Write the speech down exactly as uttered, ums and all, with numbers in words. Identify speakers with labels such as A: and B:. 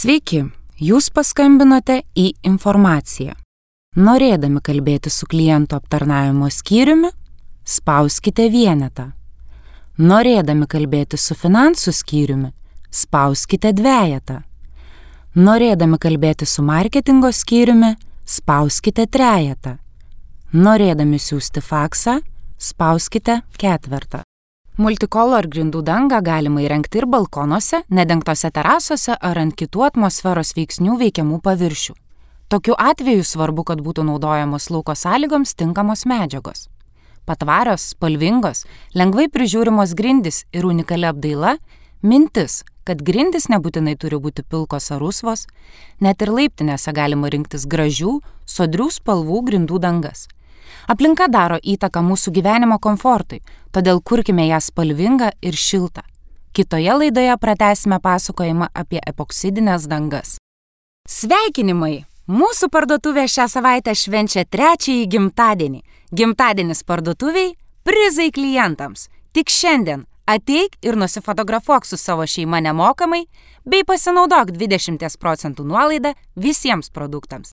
A: Sveiki, jūs paskambinote į informaciją. Norėdami kalbėti su klientų aptarnavimo skyriumi, spauskite vienetą. Norėdami kalbėti su finansų skyriumi, spauskite dvejetą. Norėdami kalbėti su marketingo skyriumi, spauskite trejetą. Norėdami siųsti faksą, spauskite ketvertą. Multicolor grindų dangą galima įrengti ir balkonuose, nedengtose terasose ar ant kitų atmosferos veiksnių veikiamų paviršių. Tokiu atveju svarbu, kad būtų naudojamos lauko sąlygoms tinkamos medžiagos. Patvarios, spalvingos, lengvai prižiūrimos grindys ir unikali apdaila – mintis, kad grindys nebūtinai turi būti pilkos ar rusvos, net ir laiptinėse galima rinktis gražių, sodrių spalvų grindų dangas. Aplinka daro įtaką mūsų gyvenimo komfortui, todėl kurkime ją spalvingą ir šiltą. Kitoje laidoje pratęsime pasakojimą apie epoksidines dangas. Sveikinimai! Mūsų parduotuvė šią savaitę švenčia trečiąjį gimtadienį. Gimtadienis parduotuviai – prizai klientams. Tik šiandien ateik ir nusifotografuok su savo šeima nemokamai bei pasinaudok dvidešimt procentų nuolaidą visiems produktams.